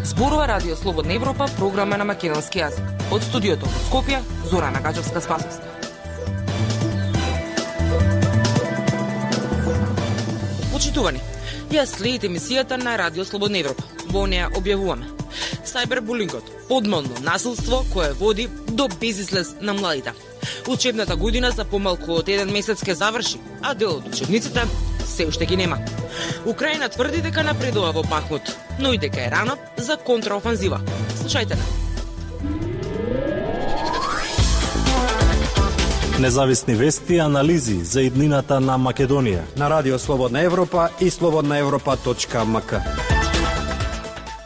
Зборува Радио Слободна Европа, програма на македонски јазик. Од студиото во Скопје, Зорана Гаджевска-Спасовска. Почитувани, ја следите емисијата на Радио Слободна Европа. Во неја објавуваме сајбербулингот, подмолно насилство кое води до безизлез на младите. Учебната година за помалку од 1 месец ке заврши, а дел од учебниците се уште ги нема. Украина тврди дека напредува во Бахмут, но и дека е рано за контраофанзива. Слушајте на. Независни вести и анализи за иднината на Македонија на Радио Слободна Европа и slobodnaevropa.mk.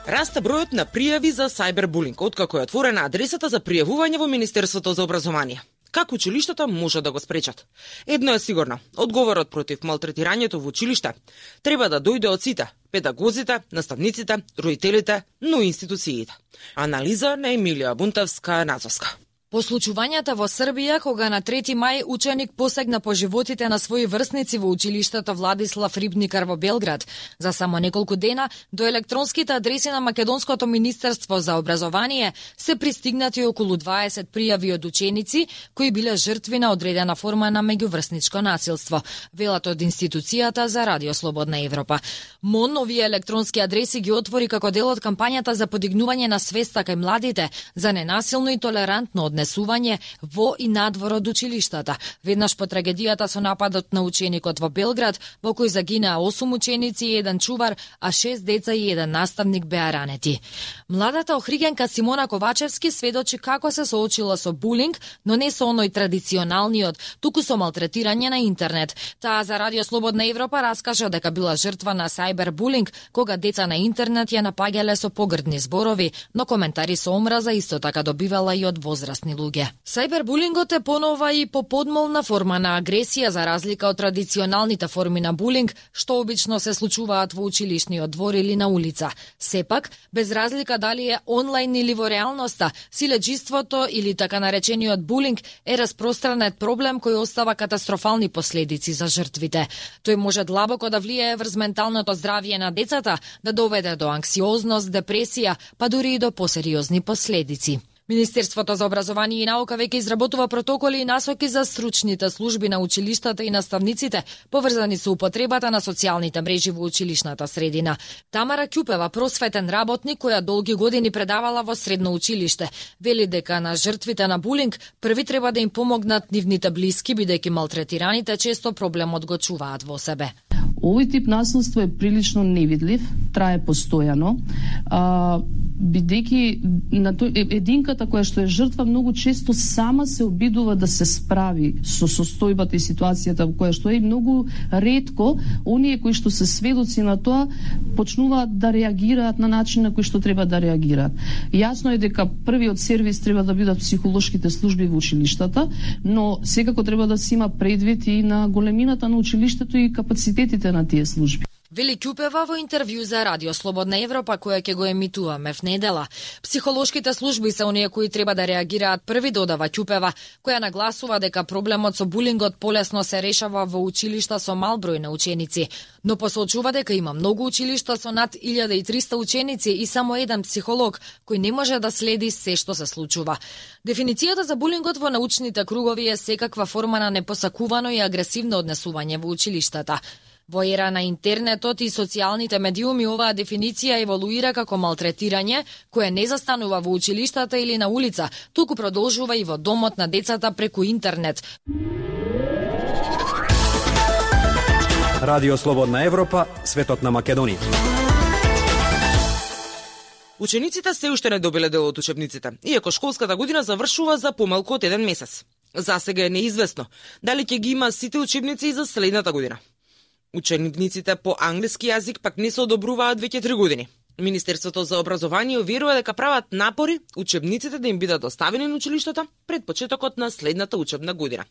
Расте бројот на пријави за сајбербулинг, откако е отворена адресата за пријавување во Министерството за образование. Како училиштата може да го спречат? Едно е сигурно, одговорот против малтретирањето во училиште треба да дојде од сите, педагозите, наставниците, родителите, но и институциите. Анализа на Емилија Бунтевска-Нацовска. По случувањата во Србија, кога на 3 мај ученик посегна по животите на своји врсници во училиштето Владислав Рибникар во Белград, за само неколку дена до електронските адреси на Македонското Министерство за образование се пристигнати околу 20 пријави од ученици кои биле жртви на одредена форма на меѓуврсничко насилство, велат од институцијата за Радио Слободна Европа. МОН овие електронски адреси ги отвори како дел од кампањата за подигнување на свеста кај младите за ненасилно и толерантно однесување во и надвор од училиштата. Веднаш по трагедијата со нападот на ученикот во Белград, во кој загинаа 8 ученици и 1 чувар, а 6 деца и 1 наставник беа ранети. Младата охригенка Симона Ковачевски сведочи како се соочила со булинг, но не со оној традиционалниот, туку со малтретирање на интернет. Таа за Радио Слободна Европа раскажа дека била жртва на сајбербулинг, кога деца на интернет ја напаѓале со погрдни зборови, но коментари со омраза исто така добивала и од возрастни луѓе. Сајбербулингот е понова и по подмолна форма на агресија за разлика од традиционалните форми на булинг, што обично се случуваат во училишниот двор или на улица. Сепак, без разлика дали е онлайн или во реалноста, силеџиството или така наречениот булинг е распространет проблем кој остава катастрофални последици за жртвите. Тој може длабоко да влијае врз менталното здравје на децата, да доведе до анксиозност, депресија, па дури и до посериозни последици. Министерството за образование и наука веќе изработува протоколи и насоки за стручните служби на училиштата и наставниците, поврзани со употребата на социјалните мрежи во училишната средина. Тамара Ќупева, просветен работник која долги години предавала во средно училиште, вели дека на жртвите на булинг први треба да им помогнат нивните блиски, бидејќи малтретираните често проблемот го чуваат во себе. Овој тип насилство е прилично невидлив, трае постојано, бидејќи единката која што е жртва многу често сама се обидува да се справи со состојбата и ситуацијата во која што е, многу ретко оние кои што се сведоци на тоа почнуваат да реагираат на начин на кој што треба да реагираат. Јасно е дека првиот сервис треба да бидат психолошките служби во училиштата, но секако треба да се има предвид и на големината на училиштето и капацитетите на тие служби. Вели Ќупева во интервју за Радио Слободна Европа, која ќе го емитуваме в недела. Психолошките служби се оние кои треба да реагираат први, додава Ќупева, која нагласува дека проблемот со булингот полесно се решава во училишта со мал број на ученици, но посочува дека има многу училишта со над 1300 ученици и само еден психолог кој не може да следи се што се случува. Дефиницијата за булингот во научните кругови е секаква форма на непосакувано и агресивно однесување во училиштата. Во ера на интернетот и социјалните медиуми оваа дефиниција еволуира како малтретирање, кое не застанува во училиштата или на улица, туку продолжува и во домот на децата преку интернет. Радио Слободна Европа, светот на Македонија. Учениците се уште не добиле дел од учебниците, иако школската година завршува за помалку од 1 месец. За сега е неизвестно дали ќе ги има сите учебници и за следната година. Учениците по англиски јазик пак не се одобруваат веќе 3 години. Министерството за образование уверува дека прават напори учебниците да им бидат доставени на училиштата пред почетокот на следната учебна година.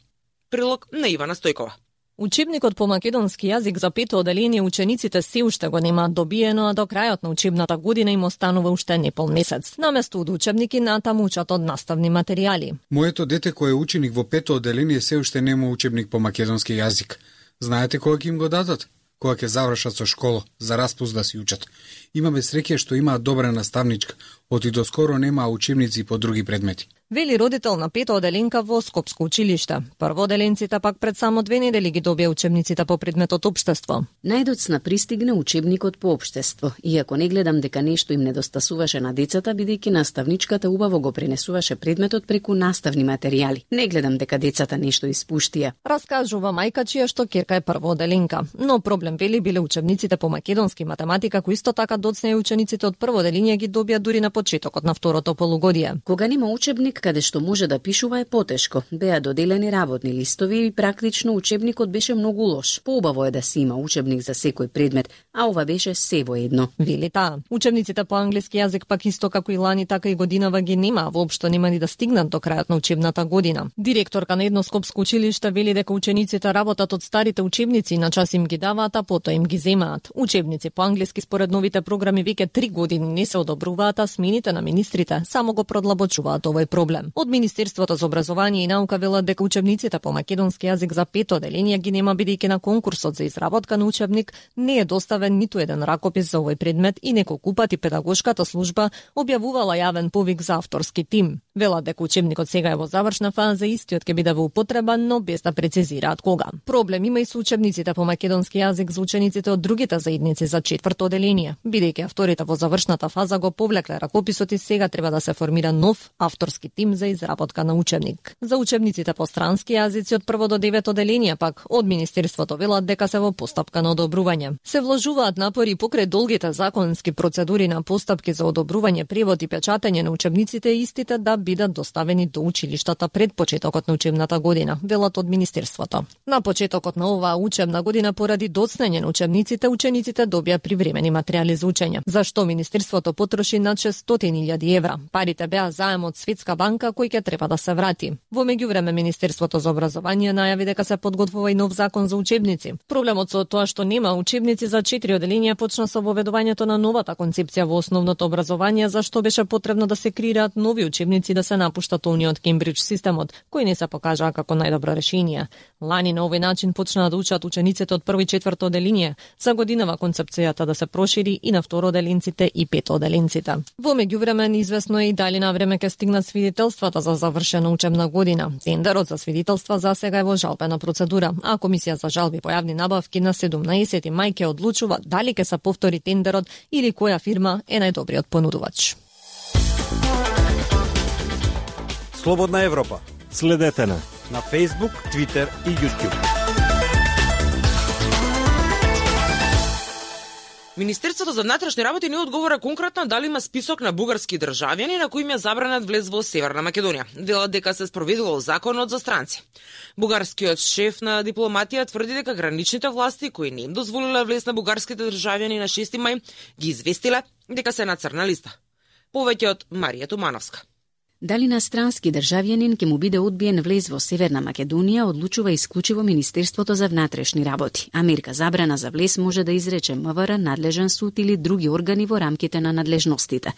Прилог на Ивана Стојкова. Учебникот по македонски јазик за 5-то оделение учениците се уште го немаат добиено, а до крајот на учебната година им останува уште непол месец. Наместо од учебники натаму учат од наставни материјали. Моето дете кој е ученик во 5-то оделение се уште нема учебник по македонски јазик. Знаете кога ќе им го дадат? кога ќе завршат со школа, за распуст да си учат. Имаме среќа што имаат добра наставничка, оти доскоро немаа учебници по други предмети. Вели родител на пета оделенка во Скопско училиште. Првооделенците пак пред само 2 недели ги добија учебниците по предметот општество. Најдоцна пристигна учебникот по општество. Иако не гледам дека нешто им недостасуваше на децата, бидејќи наставничката убаво го пренесуваше предметот преку наставни материјали. Не гледам дека децата нешто испуштија. Раскажува мајка чија што ќерка е првооделенка. Но проблем вели биле учебниците по македонски и математика, кои исто така доцна и учениците од првооделение ги добија дури на почетокот на второто полугодие. Кога нема учебник каде што може да пишува е потешко. Беа доделени работни листови и практично учебникот беше многу лош. Поубаво е да се има учебник за секој предмет, а ова беше се во едно. Вели таа. Учебниците по англиски јазик пак исто како и лани, така и годинава ги нема, воопшто нема ни да стигнат до крајот на учебната година. Директорка на едно скопско училиште вели дека учениците работат од старите учебници, на час им ги даваат, а потоа им ги земаат. Учебници по англиски според новите програми веќе 3 години не се одобруваат, а смените на министрите само го продлабочуваат овој проблем. Од Министерството за образование и наука велат дека учебниците по македонски јазик за пето оделение ги нема, бидејќи на конкурсот за изработка на учебник не е доставен ниту еден ракопис за овој предмет и неколку пати педагошката служба објавувала јавен повик за авторски тим. Велат дека учебникот сега е во завршна фаза, истиот ќе биде во употреба, но без да прецизираат кога. Проблем има и со учебниците по македонски јазик за учениците од другите заедници за четврто оделение, бидејќи авторите во завршната фаза го повлекле ракописот и сега треба да се формира нов авторски тим за изработка на учебник. За учебниците по странски јазици од прво до 9 оделение пак од Министерството велат дека се во постапка на одобрување. Се вложуваат напори покрај долгите законски процедури на постапки за одобрување, превод и печатење на учебниците, истите да бидат доставени до училиштата пред почетокот на учебната година, велат од Министерството. На почетокот на оваа учебна година поради доцнење на учениците добија привремени материјали за учење. Зашто Министерството потроши над 600.000 евра. Парите беа заем од Светска банка кој ќе треба да се врати. Во меѓувреме Министерството за образование најави дека се подготвува и нов закон за учебници. Проблемот со тоа што нема учебници за 4 оделенија почна со воведувањето на новата концепција во основното образование, зашто беше потребно да се креираат нови учебници, да се напуштат оние од Кембридж системот, кои не се покажаа како најдобро решение. Лани на овој начин почнаа да учат учениците од прво и четврто оделение. За годинава концепцијата да се прошири и на второоделенците и петооделенците. Во меѓувреме неизвестно е и дали на време ќе стигнат свидетелствата за завршена учебна година. Тендерот за свидетелства за сега е во жалбена процедура, а Комисија за жалби по јавни набавки на 17 мај ќе одлучува дали ќе се повтори тендерот или која фирма е најдобриот понудувач. Слободна Европа. Следете на Facebook, Twitter и YouTube. Министерството за внатрешни работи не одговора конкретно дали има список на бугарски државјани на кои им е забранет влез во Северна Македонија. Велат дека се спроведувал законот за странци. Бугарскиот шеф на дипломатија тврди дека граничните власти кои не им дозволиле влез на бугарските државјани на 6 мај ги известиле дека се на црна листа. Повеќе од Марија Тумановска. Дали на странски државјанин ќе му биде одбиен влез во Северна Македонија, одлучува исклучиво Министерството за внатрешни работи. А мерка забрана за влез може да изрече МВР, надлежен суд или други органи во рамките на надлежностите.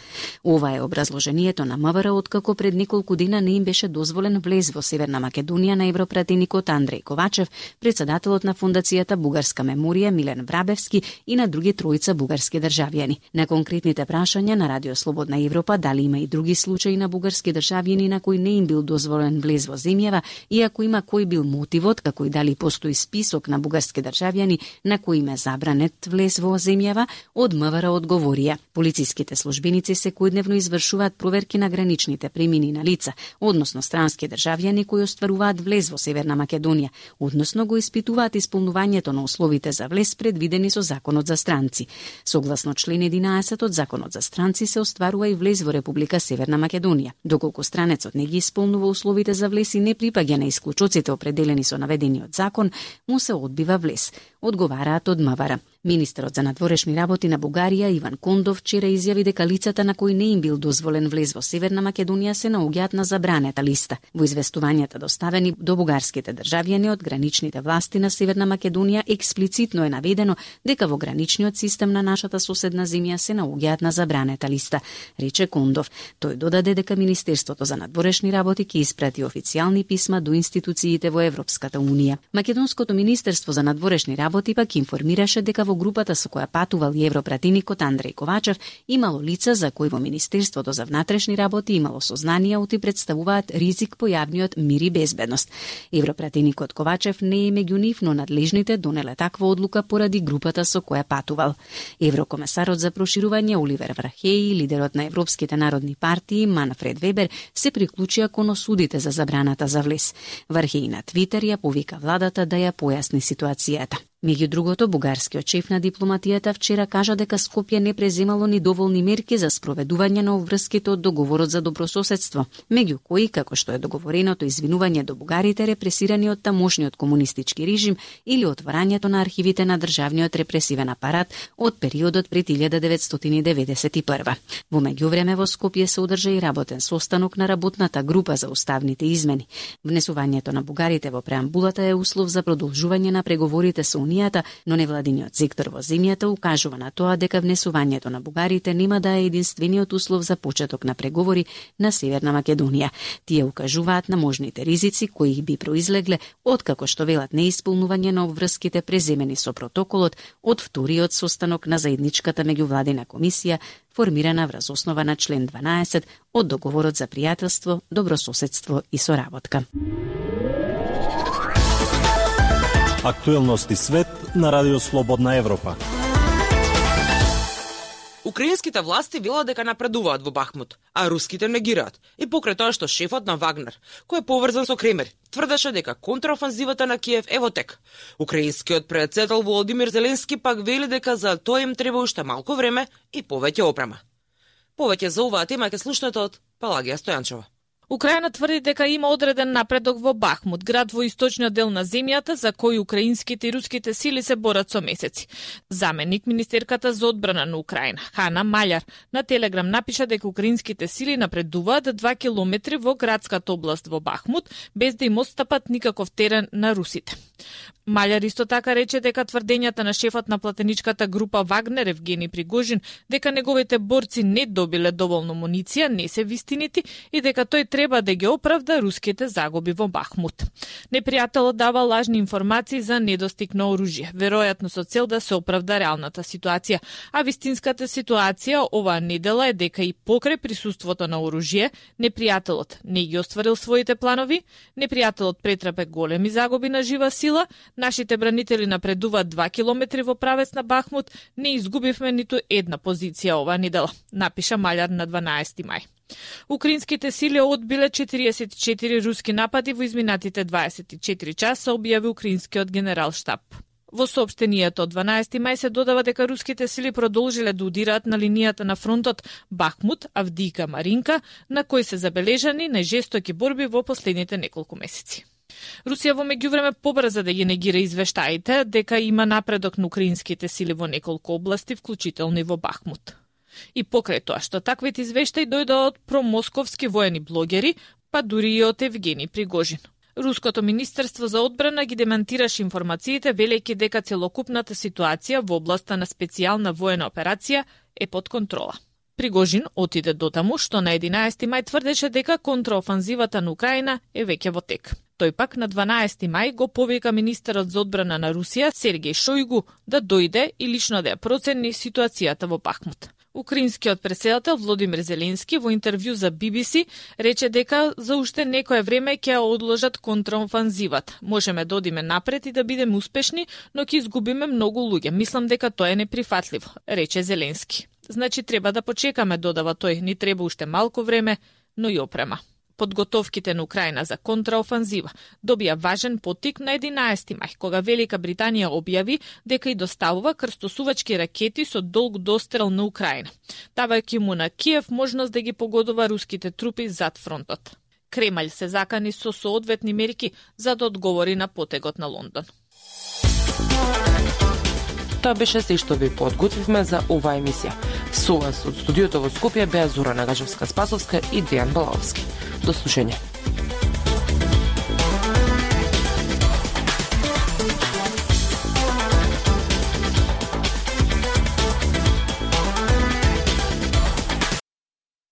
Ова е образложението на МВР откако пред неколку дена не им беше дозволен влез во Северна Македонија на европратеникот Андреј Ковачев, председателот на Фондацијата Бугарска меморија Милен Врабевски и на други тројца бугарски државјани. На конкретните прашања на Радио Слободна Европа дали има и други случаи на бугарски државјани на кои не им бил дозволен влез во земјава и ако има кој бил мотивот, како и дали постои список на бугарски државјани на кои им е забранет влез во земјава, од МВР одговорија. Полициските службеници секојдневно извршуваат проверки на граничните премини на лица, односно странски државјани кои остваруваат влез во Северна Македонија, односно го испитуваат исполнувањето на условите за влез предвидени со Законот за странци. Согласно член 11 од Законот за странци се остварува и влез во Република Северна Македонија. Доколку странецот не ги исполнува условите за влез и не припаѓа на исклучоците определени со наведениот закон, му се одбива влез, одговараат од МВР. Министерот за надворешни работи на Бугарија Иван Кондов вчера изјави дека лицата на кои не им бил дозволен влез во Северна Македонија се наоѓаат на забранета листа. Во известувањата доставени до бугарските државјани од граничните власти на Северна Македонија експлицитно е наведено дека во граничниот систем на нашата соседна земја се наоѓаат на забранета листа, рече Кондов. Тој додаде дека Министерството за надворешни работи ќе испрати официјални писма до институциите во Европската унија. Македонското Министерство за надворешни работи пак информираше дека во групата со која патувал и европратеникот Андреј Ковачев имало лица за кои во Министерството за внатрешни работи имало сознанија оти представуваат ризик по јавниот мир и безбедност. Европратеникот Ковачев не е меѓу нив, но надлежните донеле таква одлука поради групата со која патувал. Еврокомесарот за проширување Оливер Вархеј и лидерот на Европските народни партии Манфред Вебер се приклучија кон осудите за забраната за влез. Вархеј на Твитер ја повика владата да ја појасни ситуацијата. Меѓу другото, бугарскиот шеф на дипломатијата вчера кажа дека Скопје не преземало ни доволни мерки за спроведување на обврските од договорот за добрососедство, меѓу кои, како што е договореното извинување до бугарите репресирани од тамошниот комунистички режим или отворањето на архивите на државниот репресивен апарат од периодот пред 1991. Во меѓувреме во Скопје се одржа и работен состанок на работната група за уставните измени. Внесувањето на бугарите во преамбулата е услов за продолжување на преговорите со Унијата, но невладиниот сектор во земјата укажува на тоа дека внесувањето на бугарите нема да е единствениот услов за почеток на преговори на Северна Македонија. Тие укажуваат на можните ризици кои би произлегле откако што велат неисполнување на обврските преземени со протоколот од вториот состанок на заедничката меѓувладина комисија формирана врз основа на член 12 од договорот за пријателство, добрососедство и соработка. Актуелности свет на Радио Слободна Европа. Украинските власти велат дека напредуваат во Бахмут, а руските негираат. И покрај тоа што шефот на Вагнер, кој е поврзан со Кремер, тврдеше дека контраофанзивата на Киев е во тек. Украинскиот председател Володимир Зеленски пак вели дека за тоа им треба уште малку време и повеќе опрема. Повеќе за оваа тема ќе слушнете од Палагија Стојанчева. Украина тврди дека има одреден напредок во Бахмут, град во источниот дел на земјата за кој украинските и руските сили се борат со месеци. Заменик министерката за одбрана на Украина, Хана Маљар, на Телеграм напиша дека украинските сили напредуваат 2 километри во градската област во Бахмут, без да им отстапат никаков терен на русите. Маљар исто така рече дека тврдењата на шефот на платеничката група Вагнер Евгени Пригожин дека неговите борци не добиле доволно муниција не се вистинити и дека тој треба да ги оправда руските загуби во Бахмут. Непријателот дава лажни информации за недостиг на оружје, веројатно со цел да се оправда реалната ситуација, а вистинската ситуација оваа недела е дека и покрај присуството на оружје, непријателот не ги остварил своите планови, непријателот претрпе големи загуби на жива сила, нашите бранители напредуваат 2 километри во правец на Бахмут, не изгубивме ниту една позиција оваа недела, напиша Маљар на 12 мај. Украинските сили одбиле 44 руски напади во изминатите 24 часа, објави украинскиот генерал штаб. Во соопштенијето од 12 мај се додава дека руските сили продолжиле да удираат на линијата на фронтот Бахмут, Авдијка, Маринка, на кои се забележани најжестоки борби во последните неколку месеци. Русија во меѓувреме побрза да ги негира извештаите дека има напредок на украинските сили во неколку области, вклучително и во Бахмут. И покрај тоа што таквите извештаи дојдоа од промосковски воени блогери, па дури и од Евгени Пригожин. Руското министерство за одбрана ги демантираше информациите, велејќи дека целокупната ситуација во областа на специјална воена операција е под контрола. Пригожин отиде дотаму што на 11 мај тврдеше дека контраофанзивата на Украина е веќе во тек. Тој пак на 12 мај го повика министерот за одбрана на Русија Сергеј Шојгу да дојде и лично да ја процени ситуацијата во Бахмут. Украинскиот председател Володимир Зеленски во интервју за BBC рече дека за уште некое време ќе одложат контраофанзивата. Можеме да одиме напред и да бидеме успешни, но ќе изгубиме многу луѓе. Мислам дека тоа е неприфатливо, рече Зеленски. Значи треба да почекаме, додава тој, ни треба уште малку време, но и опрема. Подготовките на Украина за контраофанзива добија важен поттик на 11 мај, кога Велика Британија објави дека и доставува крстосувачки ракети со долг дострел на Украина, давајќи му на Киев можност да ги погодува руските трупи зад фронтот. Кремљ се закани со соодветни мерки за да одговори на потегот на Лондон. Тоа беше се што ви подготвивме за оваа емисија. Со вас од студиото во Скопје беа Зора Нагажевска-Спасовска и Дејан Балаовски. До слушање.